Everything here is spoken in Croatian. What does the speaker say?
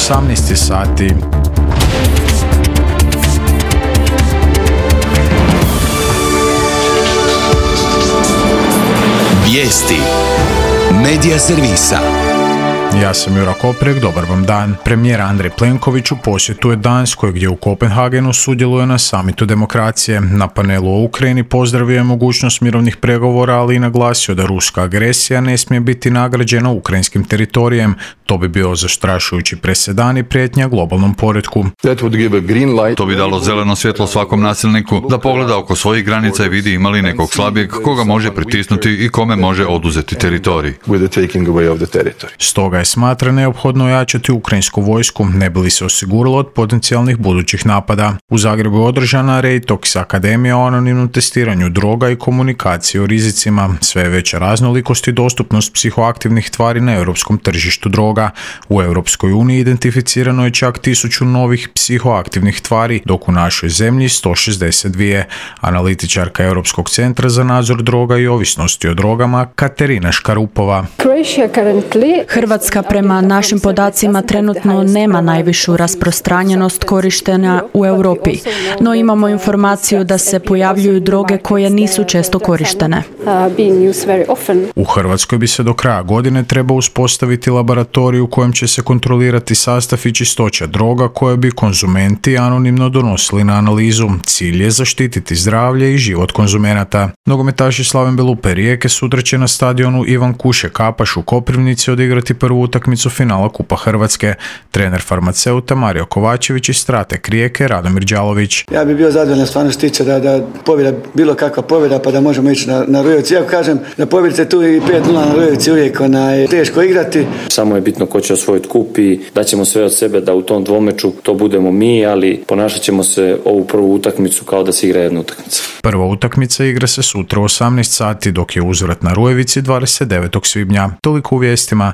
18 sati. Vijesti Medija servisa. Ja sam Jura Koprek, dobar vam dan. Premijer Andrej Plenković u posjetu je Danskoj, gdje u Kopenhagenu sudjeluje na samitu demokracije. Na panelu o Ukrajini pozdravio je mogućnost mirovnih pregovora, ali i naglasio da ruska agresija ne smije biti nagrađena ukrajinskim teritorijem. To bi bio zastrašujući presedan i prijetnja globalnom poretku. To bi dalo zeleno svjetlo svakom nasilniku da pogleda oko svojih granica i vidi ima li nekog slabijeg koga može pritisnuti i kome može oduzeti teritorij. Stoga je smatra neophodno ojačati ukrajinsku vojsku, ne bi li se osiguralo od potencijalnih budućih napada. U Zagrebu je održana Reitox akademija o anonimnom testiranju droga i komunikaciji o rizicima. Sve je veća raznolikost i dostupnost psihoaktivnih tvari na europskom tržištu droga. U Europskoj uniji identificirano je čak 1000 novih psihoaktivnih tvari, dok u našoj zemlji 162. Analitičarka Europskog centra za nadzor droga i ovisnosti o drogama Katerina Škarupova. Hrvatska prema našim podacima trenutno nema najvišu rasprostranjenost korištenja u Europi, no imamo informaciju da se pojavljuju droge koje nisu često korištene. U Hrvatskoj bi se do kraja godine trebao uspostaviti laboratorij u kojem će se kontrolirati sastav i čistoća droga koje bi konzumenti anonimno donosili na analizu. Cilj je zaštititi zdravlje i život konzumenata. Nogometaši Slaven Belupe Rijeke sutra će na stadionu Ivan Kuše Kapaš u Koprivnici odigrati prvu utakmicu finala Kupa Hrvatske. Trener farmaceuta Mario Kovačević i strateg Rijeke Radomir Đalović. Ja bih bio zadovoljan stvarno stiče da pobjeda, bilo kakva pobjeda, pa da možemo ići na Rujevici. Ja kažem da pobjedite tu i 5-0 na Rujevici uvijek teško igrati. Samo je bitno ko će osvojiti kup i daćemo sve od sebe da u tom dvomeču to budemo mi, ali ponašat ćemo se ovu prvu utakmicu kao da se igra jedna utakmica. Prva utakmica igra se sutra u 18 sati, dok je uzvrat na Rujevici 29. svibnja. Toliko u vijestima.